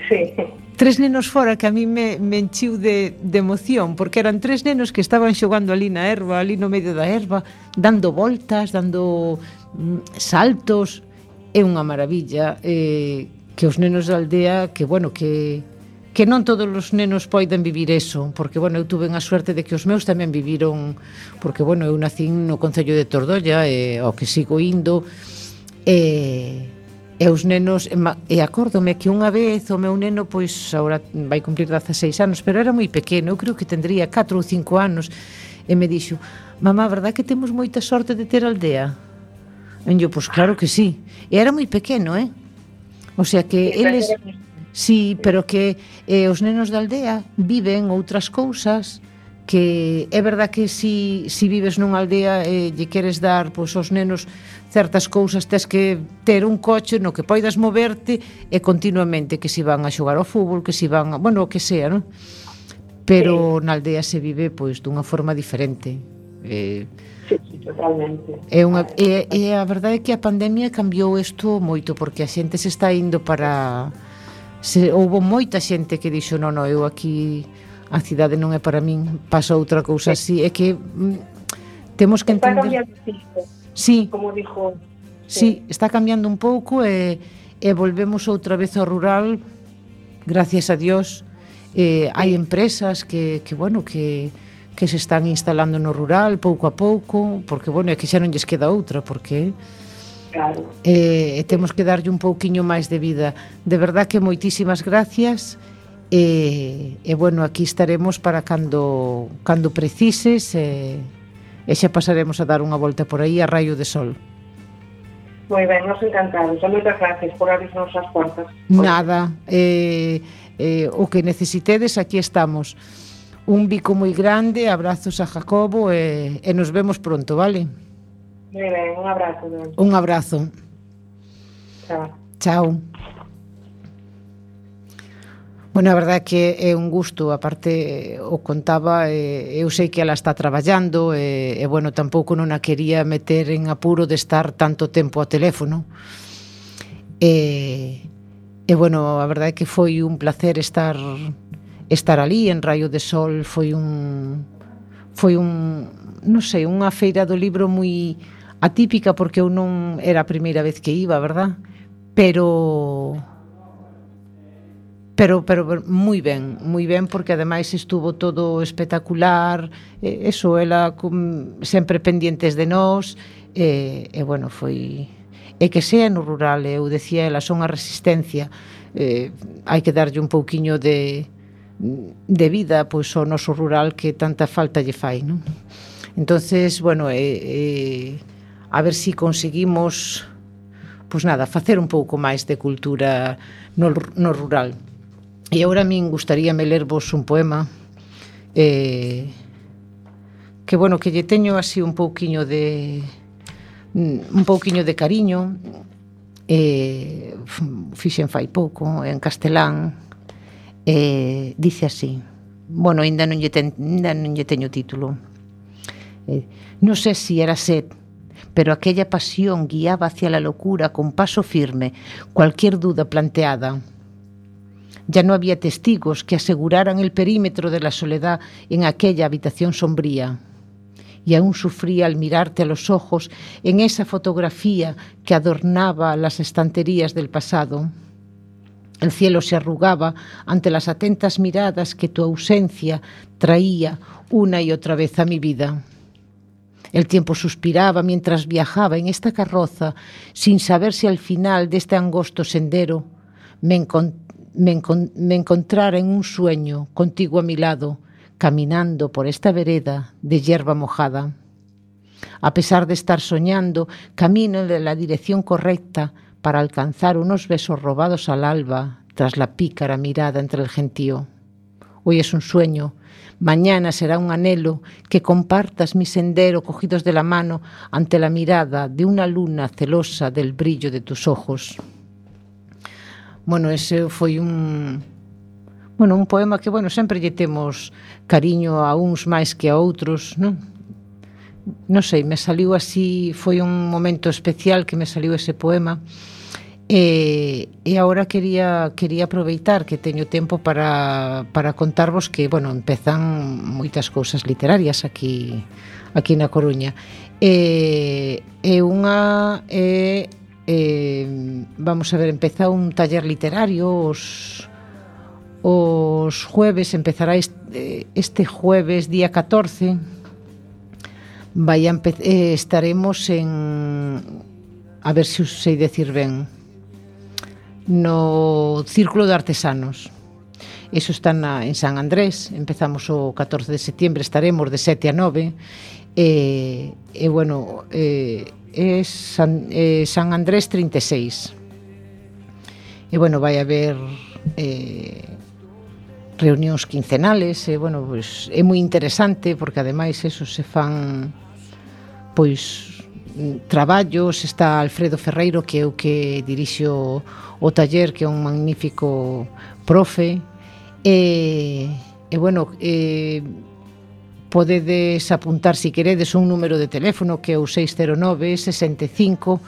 Sí. Tres nenos fora que a mí me, me enchiu de, de emoción, porque eran tres nenos que estaban xogando ali na erva, ali no medio da erva, dando voltas, dando mm, saltos. É unha maravilla, eh, que os nenos da aldea, que bueno, que que non todos os nenos poden vivir eso, porque, bueno, eu tuve a suerte de que os meus tamén viviron, porque, bueno, eu nací no Concello de Tordolla, e ao que sigo indo, e, e os nenos, e acórdome que unha vez o meu neno, pois, agora vai cumplir dezaseis anos, pero era moi pequeno, eu creo que tendría catro ou cinco anos, e me dixo, mamá, verdad que temos moita sorte de ter aldea? E eu, pois, claro que sí, e era moi pequeno, eh? O sea que eles... Sí, pero que eh, os nenos da aldea viven outras cousas, que é verdad que si, si vives nunha aldea e eh, lle queres dar pois, aos nenos certas cousas, tes que ter un coche no que poidas moverte e continuamente, que si van a xogar ao fútbol, que si van a, bueno, o que sea, non? Pero sí, na aldea se vive pois dunha forma diferente. Eh, sí, sí, totalmente. É unha, e, e a verdade é que a pandemia cambiou isto moito, porque a xente se está indo para... Se, houve moita xente que dixo non, non, eu aquí a cidade non é para min, pasa outra cousa así, é que mm, temos que entender. Está cambiando, sí, como dijo. Sí, sí, está cambiando un pouco e, e volvemos outra vez ao rural, gracias a Dios. Eh, hai empresas que, que bueno, que que se están instalando no rural pouco a pouco, porque bueno, é que xa non lles queda outra, porque claro. E, e temos que darlle un pouquiño máis de vida. De verdad que moitísimas gracias, e, e bueno, aquí estaremos para cando cando precises, e, e xa pasaremos a dar unha volta por aí a raio de sol. Moi ben, nos encantados. Moitas gracias por abrirnos as portas. Nada, eh, eh, o que necesitedes, aquí estamos. Un bico moi grande, abrazos a Jacobo e, e nos vemos pronto, vale? Moi ben, un abrazo. Ben. Un abrazo. Chao. Chao. Bueno, a verdade é que é un gusto, aparte o contaba, eh, eu sei que ela está traballando e, e bueno, tampouco non a quería meter en apuro de estar tanto tempo ao teléfono. E, e bueno, a verdade é que foi un placer estar estar ali en Raio de Sol, foi un foi un, non sei, unha feira do libro moi atípica porque eu non era a primeira vez que iba, verdad? Pero Pero, pero moi ben, moi ben, porque ademais estuvo todo espectacular, e, eso, ela com, sempre pendientes de nós, e, e bueno, foi... E que sea no rural, eu decía ela, son a resistencia, eh, hai que darlle un pouquiño de, de vida pois ao noso rural que tanta falta lle fai, non? Entonces, bueno, eh, eh, a ver si conseguimos, pois nada, facer un pouco máis de cultura no, no rural. E agora a min gustaríame lervos un poema eh, que, bueno, que lle teño así un pouquiño de un pouquiño de cariño, eh, fixen fai pouco en castelán, eh, dice así, bueno, ainda non lle, ten, ainda non lle teño título, eh, non sei si era sed, pero aquella pasión guiaba hacia la locura con paso firme cualquier duda planteada. Ya no había testigos que aseguraran el perímetro de la soledad en aquella habitación sombría. Y aún sufría al mirarte a los ojos en esa fotografía que adornaba las estanterías del pasado. El cielo se arrugaba ante las atentas miradas que tu ausencia traía una y otra vez a mi vida. El tiempo suspiraba mientras viajaba en esta carroza, sin saber si al final de este angosto sendero me encontraba Me, encon- me encontrara en un sueño contigo a mi lado, caminando por esta vereda de hierba mojada. A pesar de estar soñando, camino en la dirección correcta para alcanzar unos besos robados al alba tras la pícara mirada entre el gentío. Hoy es un sueño, mañana será un anhelo que compartas mi sendero cogidos de la mano ante la mirada de una luna celosa del brillo de tus ojos. Bueno, ese foi un bueno, un poema que, bueno, sempre lle temos cariño a uns máis que a outros, non? Non sei, me saliu así, foi un momento especial que me saliu ese poema. E, e agora quería quería aproveitar que teño tempo para, para contarvos que, bueno, empezan moitas cousas literarias aquí aquí na Coruña. E, e unha e Eh, vamos a ver, empeza un taller literario os, os jueves, empezará este, este jueves día catorce, vai a empe- eh, estaremos en, a ver se os sei decir ben, no Círculo de Artesanos. Eso está na, en San Andrés, empezamos o catorce de setembro, estaremos de sete a nove, e, e bueno, eh, é San, eh, San Andrés trinta e seis. E bueno, vai haber eh, reunións quincenales, e bueno, pues, é moi interesante porque ademais eso se fan pois traballos, está Alfredo Ferreiro que é o que dirixo o taller, que é un magnífico profe, e, e bueno, e podedes apuntar, se queredes, un número de teléfono que é o seis cero nove, sesenta e cinco,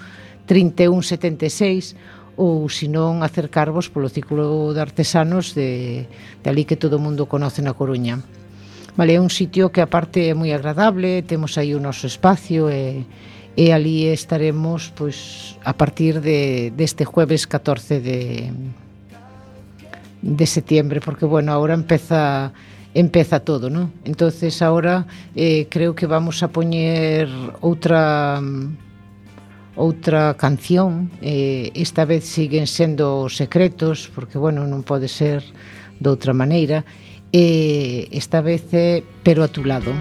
trinta e un, setenta e seis, ou senón acercarvos polo Círculo de Artesanos de, de ali que todo o mundo conoce na Coruña. Vale, é un sitio que aparte é moi agradable, temos aí o noso espacio e, e ali estaremos pois a partir de deste jueves catorce de de setembro, porque bueno, agora empeza empeza todo, ¿no? Entonces ahora eh, creo que vamos a poñer outra outra canción, eh, esta vez siguen sendo secretos, porque bueno, non pode ser de outra maneira, e eh, esta vez é Pero a tu lado.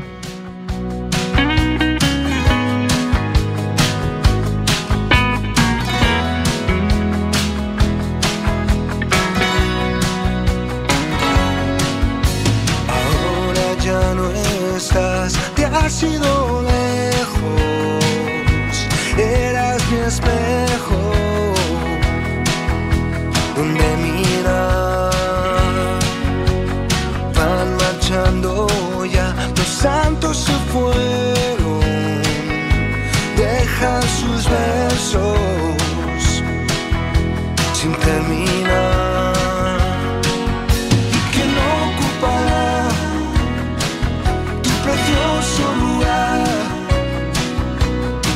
has ido lejos, eras mi espejo donde mirar. Van marchando ya, los santos se fueron, dejan sus versos sin terminar. ¿Y quién ocupará tu precioso lugar,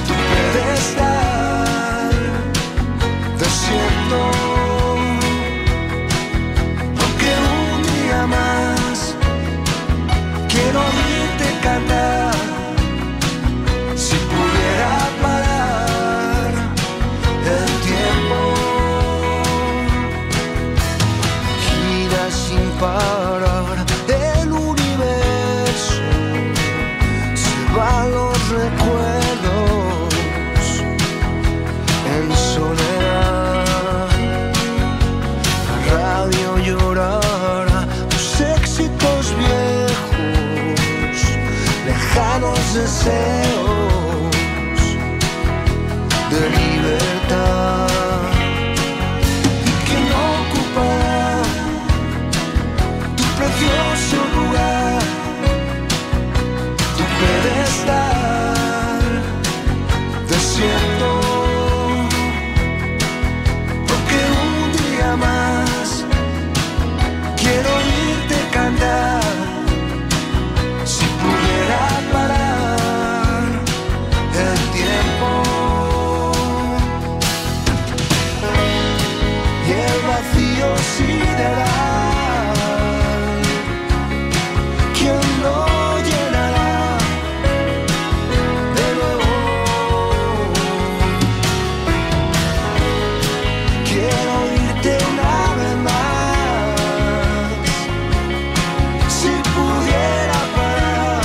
tu pedestal desierto? Porque un día más quiero oírte cantar. Si pudiera parar el tiempo, gira sin parar el universo, se van los recuerdos en soledad. La radio llorará tus éxitos viejos, lejanos deseos de libertad. ¿Y quién ocupará tu precioso lugar, tu pedestal desierto? Porque un día más quiero oírte cantar. Si pudiera parar el tiempo y el vacío sideral, ¿quién lo llenará de nuevo? Quiero oírte una vez más. Si pudiera parar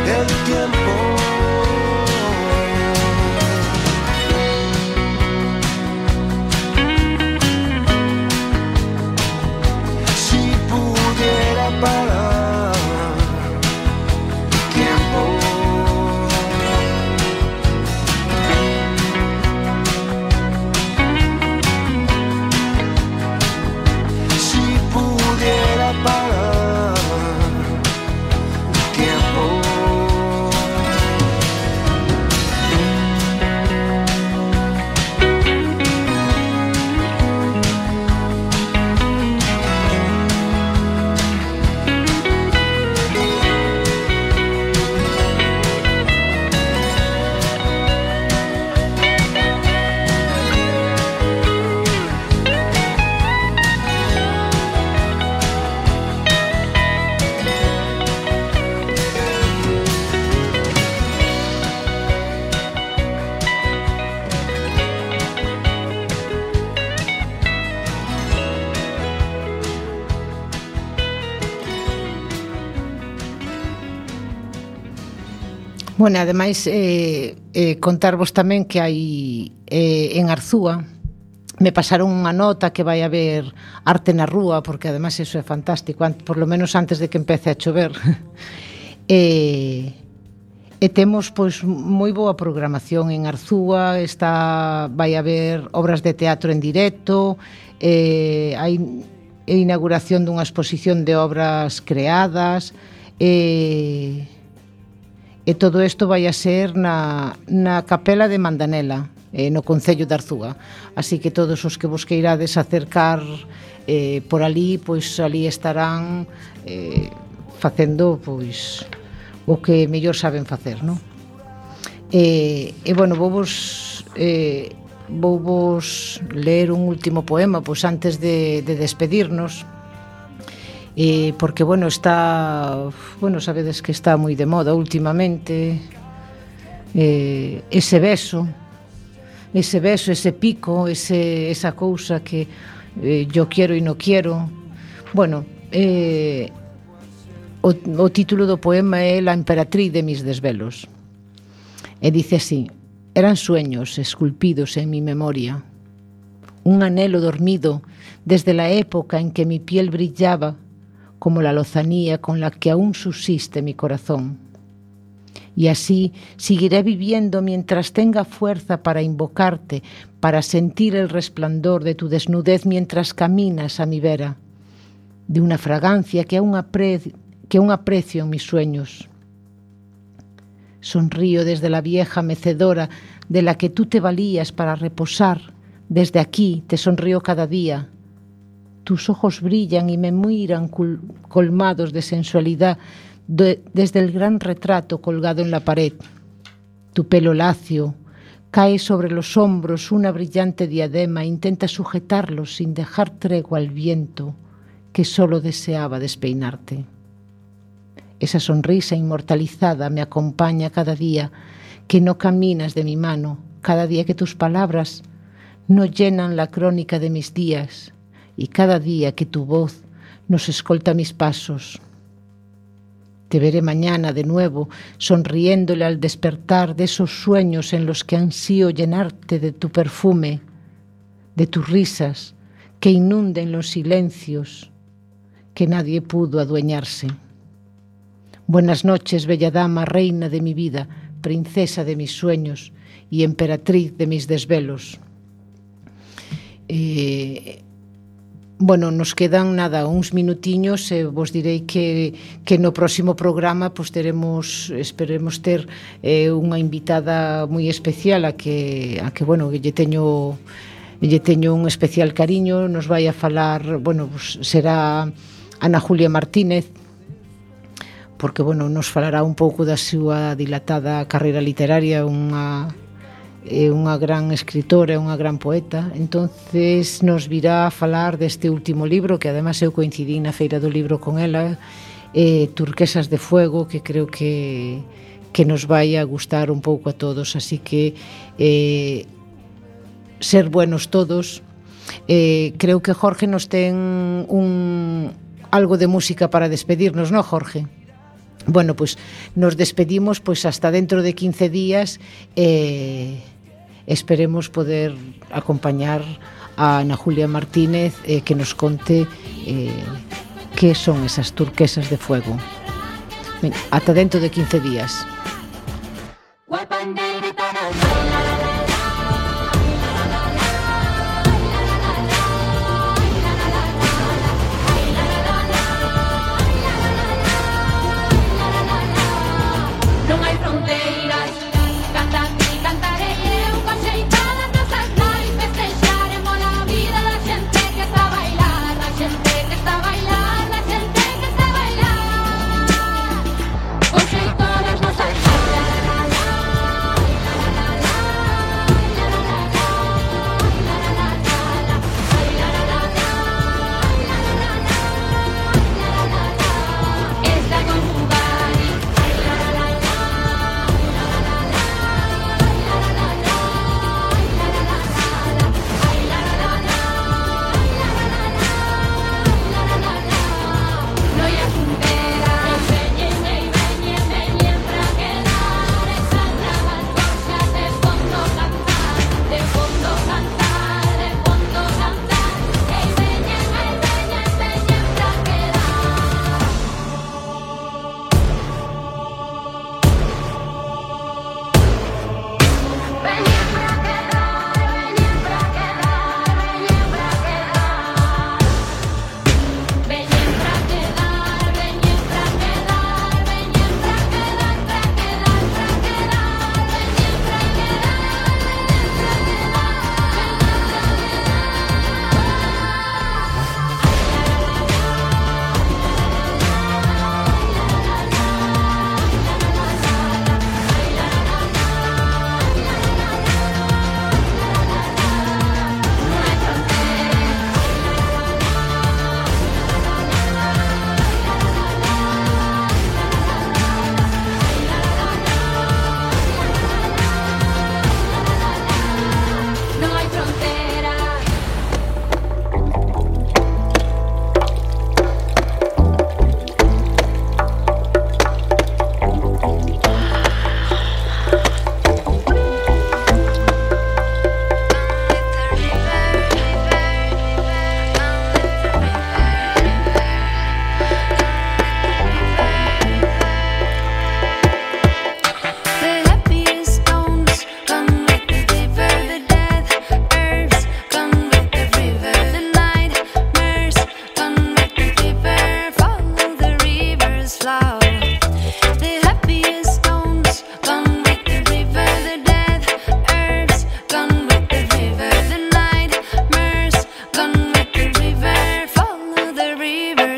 el tiempo. Si pudiera parar el tiempo. Si pudiera parar el tiempo. Bueno, ademais, eh, eh, contarvos tamén que hai eh, en Arzúa, me pasaron unha nota que vai haber arte na rúa, porque ademais eso é fantástico, por lo menos antes de que empece a chover. e, e temos pois moi boa programación en Arzúa, está, vai haber obras de teatro en directo, eh, hai a inauguración dunha exposición de obras creadas, e... E todo isto vai a ser na, na capela de Mandanela, eh, no concello de Arzúa. Así que todos os que vos queirades acercar eh, por ali, pois ali estarán eh, facendo pois o que mellor saben facer, non? E, e bueno, vou vos eh, vou vos ler un último poema pois antes de, de despedirnos. Eh, porque, bueno, está... Bueno, sabedes que está moi de moda últimamente eh, ese beso, ese beso, ese pico, ese, esa cousa que eh, yo quiero e no quiero. Bueno, eh, o, o título do poema é La emperatriz de mis desvelos. E dice así: eran sueños esculpidos en mi memoria, un anhelo dormido desde la época en que mi piel brillaba como la lozanía con la que aún subsiste mi corazón. Y así seguiré viviendo mientras tenga fuerza para invocarte, para sentir el resplandor de tu desnudez mientras caminas a mi vera, de una fragancia que aún aprecio, que aún aprecio en mis sueños. Sonrío desde la vieja mecedora de la que tú te valías para reposar. Desde aquí te sonrío cada día. Tus ojos brillan y me miran colmados de sensualidad de, desde el gran retrato colgado en la pared. Tu pelo lacio cae sobre los hombros una brillante diadema e intenta sujetarlo sin dejar tregua al viento que solo deseaba despeinarte. Esa sonrisa inmortalizada me acompaña cada día que no caminas de mi mano, cada día que tus palabras no llenan la crónica de mis días y cada día que tu voz nos escolta mis pasos. Te veré mañana de nuevo, sonriéndole al despertar de esos sueños en los que ansío llenarte de tu perfume, de tus risas que inunden los silencios que nadie pudo adueñarse. Buenas noches, bella dama, reina de mi vida, princesa de mis sueños y emperatriz de mis desvelos. Eh, bueno, nos quedan nada, uns minutiños e eh, vos direi que, que no próximo programa pues, teremos, esperemos ter eh, unha invitada moi especial a que, a que bueno, que lle teño, lle teño un especial cariño. Nos vai a falar, bueno, pues, será Ana Julia Martínez, porque, bueno, nos falará un pouco da súa dilatada carreira literaria, unha é unha gran escritora, unha gran poeta. Entonces nos virá a falar deste último libro, que además eu coincidí na Feira do Libro con ela, eh, Turquesas de Fuego, que creo que, que nos vai a gustar un pouco a todos. Así que eh, ser buenos todos. Eh, creo que Jorge nos ten un, algo de música para despedirnos, ¿no, Jorge? Bueno, pues nos despedimos pues hasta dentro de quince días. Eh, esperemos poder acompañar a Ana Julia Martínez eh, que nos conte eh, qué son esas turquesas de fuego. Venga, hasta dentro de quince días. Todas nosas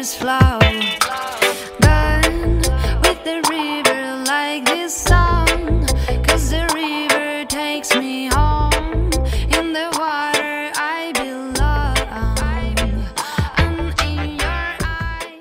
there's flowers